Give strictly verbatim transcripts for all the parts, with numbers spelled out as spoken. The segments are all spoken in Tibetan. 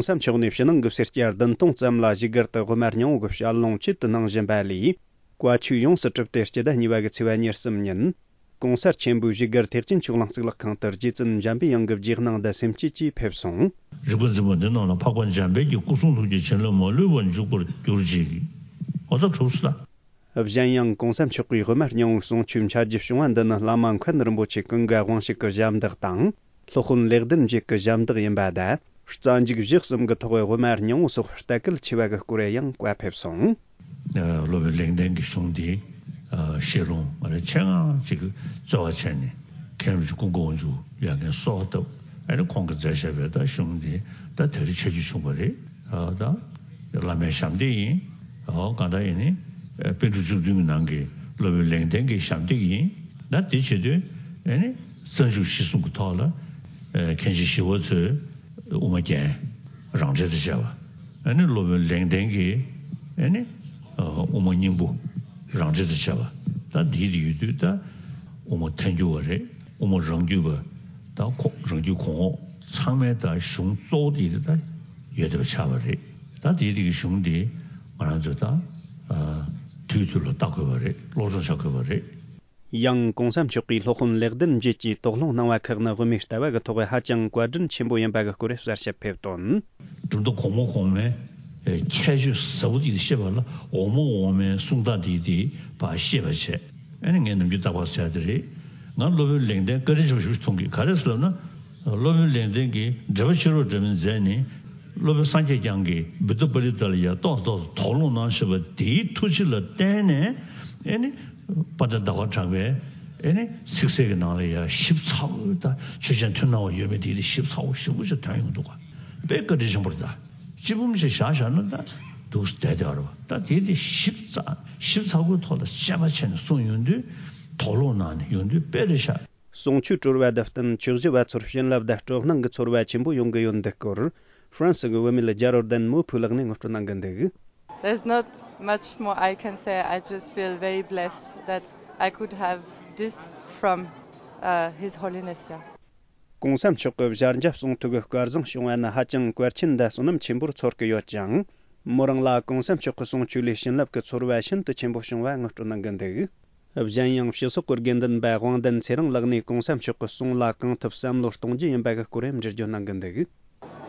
གོང་ས་མཆོག་ནས་ཕྱི་ནང་གི་སེར་སྐྱ་བདུན་སྟོང་ཙམ་ལ་བཞུགས་སྒར་དུ་དབུ་མ་སྙིང་པོ་གི་ཞལ་ལུང་ཆེད་དུ་གནང་བཞིན་པ་ལས། བཀའ་ཆོས་ཡོངས་སུ་གྲུབ་སྟེ་སྤྱི་ཟླ་གཉིས་པ་གི་ཚེས་པ་ཉེར་གསུམ་ཉིན། གོང་གསལ་ཆེན་པོའི་བཞུགས་སྒར་ཐེག་ཆེན་ཆོས་གླིང་གཙུག་ལག་ཁང་དུ་རྗེ་བཙུན་འཇམ་པའི་དབྱངས་ཀྱི་རྗེས་གནང་དང་སེམས་བསྐྱེད་ཀྱིས་ཕེབས་སོང་། རིག་པ་འཛིན་པ་འདི་རྣམས་ལ། འཕགས་པ་འཇམ་དཔལ་གྱི་སྐུ་གསུང་ཐུགས་ཀྱི་བྱིན་རླབས་མ་ལུས་པར་འཇུག་པར་གྱུར་ཅིག། འོ་ད་གྲུབ་སོང་ད། གཞན་ཡང་གོང་ས་མཆོག་གིས་དབུ་མ་སྙིང་པོའི་གསུང་ཆོས་འཆད་རྒྱུ་བྱུང་བ་འདི་ནི་བླ་མ་མཁན་རིན་པོ་ཆེ་ཀུན་དགའ་དབང་ཕྱུག་གི་ཞབས་འདེགས་དང་། སློབ་དཔོན་ལེགས་ལྡན་འབྱེད་ཀྱི་ཞབས་འདེགས་ཡིན་པ་དང་། རྩ་འཇུག་བཞི་གསུམ་གྱི་ཐོག་དབུ་མ་སྙིང་པོ་སོགས་ལྟ་སྐུལ་ཆེ་བ་གི་སྐོར་ཡང་བཀའ་ཕེབས་སོང་། སློབ་དཔོན་ལེགས་ལྡན་གྱི་གཞུང་འདི་བཤད་ལུང་ང་རང་ཆེད་མངགས་ཅིག་རྩོལ་བ་བྱས་ནས་མཁན་རིན་པོ་ཆེ་ཀུན་དགའ་དབང་ཕྱུག་ཡར་རྒྱས་གསོལ་བ་བཏབ། ཨ་ནི་ཁོང་གིས་མཛད་བཞག་པའི་ད་གཞུང་འདི་ད་དེ་རིང་ཆ་རྒྱུས་བྱུང་བ་རེད། ད་བླ་མའི་ཞབས་འདེགས་ཡིན། གང་ལྟར་ཡིན་ནི་པཎ་གྲུབ་བཅུ་བདུན་གྱི་ནང་གི་སློབ་དཔོན་ལེགས་ལྡན་གྱི་ཞབས་འདེགས་ཡིན། ད་དེ་བྱེད་དུས་ཨ་ནི་རྩ་འཇུག་གཞི་གསུམ་གྱི་ཐོག་ལ་མཁན་ཆེན་ཞི་བ་འཚོས་དབུ་མ་རྒྱན་རང་འགྲེལ་དུ་བྱས་པ། ཨ་ནི་སློབ་དཔོན་ལེགས་ལྡན་གྱིས་ཨ་ནི་དབུ་མ་སྙིང་པོ་རང་འགྲེལ་དུ་བྱས་པ། ད་འདི་དེ་ཡོད་དུས་ད་དབུ་མ་ཐལ་འགྱུར་བ་རེད། དབུ་མ་རང་རྒྱུད་པ་ད་ཁོ་རང་རྒྱུད་གོང་འོག་ཚང་མའི་ད་གཞུང་གཙོ་བོ་དེ་ད་ཡོད་བསྡད་པ་ཆགས་པ་རེད། ད་དེ་དེ་གི་གཞུང་དེ་ང་རང་ཚོས་ད་དུས་དུས་ལ་ལྟ་དགོས་པ་རེད། སློབ་སྦྱོང་བྱ་དགོས་པ་རེད། ཡང་གོང་ས་མཆོག་གིས་སློབ་དཔོན་ལེགས་ལྡན་འབྱེད་ཀྱིས་དོགས་སློང་གནང་བ་ཁག་ནི་དབུ་མའི་ལྟ་བ་གི་ཐོག་ཧ་ཅང་བཀའ་དྲིན་ཆེན་པོ་ཡིན་པ་གི་སྐོར་གསལ་བཤད་ཕེབས་དོན། གྲུབ་མཐའ་གོང་མ་གོང་མའི་ཁྱད་ཆོས་ཟབ་པོ་དེ་བཤད་པ་ལ་འོག་མ་འོག་མའི་གསུང་སྟངས་དེ་དེ་ཕར་ཤེས་པ་བྱས། ཨ་ནི་ངས་ནམ་རྒྱུན་རྟག་པར་ཟེར་དེ་རེད། ང་སློབ་དཔོན་ལེགས་ལྡན་བཀའ་དྲིན་ཆེན་པོ་ཞེ་པོ་ཅིག་མཐོང་གི། ག་རེ་ཟེར་ལབ་ན། སློབ་དཔོན་ལེགས་ལྡན་གྱིས་འགྲེལ་པ་ཕྱི་རོལ་འདྲ་མིན་མཛད་ནས། སློབ་དཔོན་སངས་རྒྱས་བསྐྱངས་ཀྱིས་བི་ཏ་པ་ལི་ཏ་ལ་ཡ་ཏོག་ཙམ་ཏོག་ཙམ་དོགས་སློང་གནང་བཞིན་པ་དེའི་ཐུགས་རྗེ་ལ་བརྟེན་ནས་ཨེ་ནི་དཔལ་ལྡན་ཟླ་བ་གྲགས་པས་ཨེ་ནི་ཚིག་གསལ་གྱི་ནང་ལ་ཡ་ཞིབ་ཚགས་པོ་ད་ཆོས་ཅན་མཐུན་སྣང་བ་ཡོད་མེད་དེ་དེ་ཞིབ་ཚགས་པོ་ཞིབ་པོ་ཞིག་ཐོན་ཡོང་འདུག་ག་དཔེ་བཀའ་དྲིན་ཆེན་པོ་རེད། ད་སྤྱི་འབུམ་ཞིག་བཞག་བཞག་ན་ད་འདུག་བསྡད་བསྡད་པ་རེད་པ། ད་དེ་དེ་ཞིབ་ཚགས་ཞིབ་ཚགས་པོའི་ཐོག་ལ་དཔྱད་པ་བྱས་ནས་གསུངས་ཡོང་དུས་དོགས་སློང་གནང་ནས་ཡོང་དུས་དཔེ་རེད་ཤག་གསུང་ཆོས་གྲོལ་བ་དང་བསྟུན་ཆོས་ཞུ་བ་ཚོར་བྱིན་རླབས་དང་སྤྲོ་སྣང་གི་ཚོར་བ་ཆེན་པོ་ཡོང་གི་ཡོད་འདུག་སྐོར། ཧྥ་རན་སི་གི་བུད་མེད་རྒྱ་རོལ་ལྡན་མོ་ཕུ་ལགས་ནས་ངོ་སྤྲོད་གནང་གི་འདུག There's not much more I can say. I just feel very blessed that I could have this from uh, His Holiness. Yeah. གོང་ས་མཆོག་གི་ཞལ་མཇལ་གསུང་ཐོས་ཀྱི་སྐལ་བཟང་བྱུང་བ་ནི་ཧ་ཅང་གལ་ཆེན་དང་བསོད་ནམས་ཆེན་པོར་ཚོར་གྱི་ཡོད་ཅིང་། མོ་རང་ལ་གོང་ས་མཆོག་གི་གསུང་ཆོས་ལས་བྱིན་རླབས་ཀྱི་ཚོར་བ་ཤིན་ཏུ་ཆེན་པོ་བྱུང་བ་ངོ་སྤྲོད་གནང་གི་འདུག་གཞན་ཡང་སྤྱི་ཚོགས་ཀྱི་དགེ་འདུན་པ་དབང་ལྡན་ཚེ་རིང་ལགས་ནས་གོང་ས་མཆོག་གི་གསུང་ལ་གང་ཐུབ་བསམ་བློ་གཏོང་རྒྱུ་ཡིན་པ་གི་སྐོར་ཡང་འགྲེལ་བརྗོད་གནང་གི་འདུག་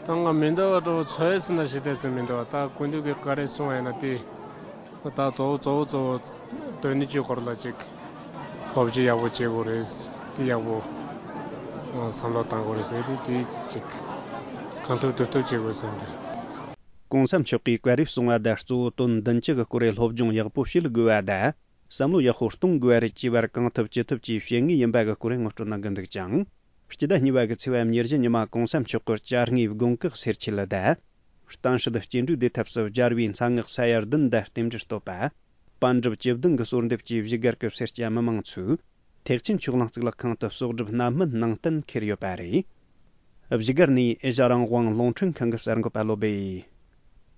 ད་ང་མི་འདོད་པ་འདྲ་བོ་ཚོད་ཟིན་ན་ཞིག་བལྟས་ཟིན་མི་འདོད་པ། ད་སྐུ་མདུན་གྱིས་བཀའ་དྲིན་གསུངས་ཡིན་ན་དེ་ད་གཙོ་བོ་གཙོ་བོ་གཙོ་བོ་དོན་གཉིས་ཀྱི་སྐོར་ལ་ཅིག་སློབ་སྦྱོང་ཡག་པོ་བྱེད་དགོས་རེད། དེ་ཡག་པོ་བསམ་བློ་གཏང་དགོས་རེད་ཟེར་དེ་དེ་ཅིག་གང་ཐུབ་དུ་ཐུབ་བྱེད་དགོས་བསམ་གི། གོང་ས་མཆོག་གིས་བཀའ་དྲིན་གསུངས་པ་དང་གཙོ་བོ་དོན་བདུན་ཅུ་གི་སྐོར་རེ་སློབ་སྦྱོང་ཡག་པོ་བྱེད་དགོས་པ་དང་། བསམ་བློ་ཡག་པོ་གཏོང་དགོས་པ་རེད་ཅེས་པར་གང་ཐུབ་ཅི་ཐུབ་ཀྱིས་བྱེད་ངེས་ཡིན་པ་གི་སྐོར་ངོ་སྤྲོད་གནང་གི་འདུག་ཅིང་། སྤྱི་ཟླ་གཉིས་པ་གི་ཚེས་པ་ཉེར་བཞི་ཉི་མ་གོང་ས་མཆོག་གི་བཅར་དངོས་དགོན་ཁག་སེར་ཆེད་ལ་དང་། གཏམ་སྲིད་སྐྱེ་འགྲོའི་བདེ་ཐབས་སུ་སྦྱར་བའི་མཚན་སྔགས་ས་ཡ་བདུན་དང་རྟེན་འབྲེལ་བསྟོད་པ། པཎ་གྲུབ་བཅུ་བདུན་གྱི་གསོལ་འདེབས་ཀྱིས་བཞུགས་སྒར་གྱི་སེར་སྐྱ་མི་མང་ཚོས་ཐེག་ཆེན་ཆོས་གླིང་གཙུག་ལག་ཁང་དུ་གསོག་སྒྲུབ་སྣ་སྨན་གནང་གཏན་འཁེལ་ཡོད་པ་རེད། བཞུགས་སྒར་ནས་ཨེ་ཤ་རང་དབང་རླུང་འཕྲིན་ཁང་གི་གསར་འགོད་པ་བློ་སྦེ།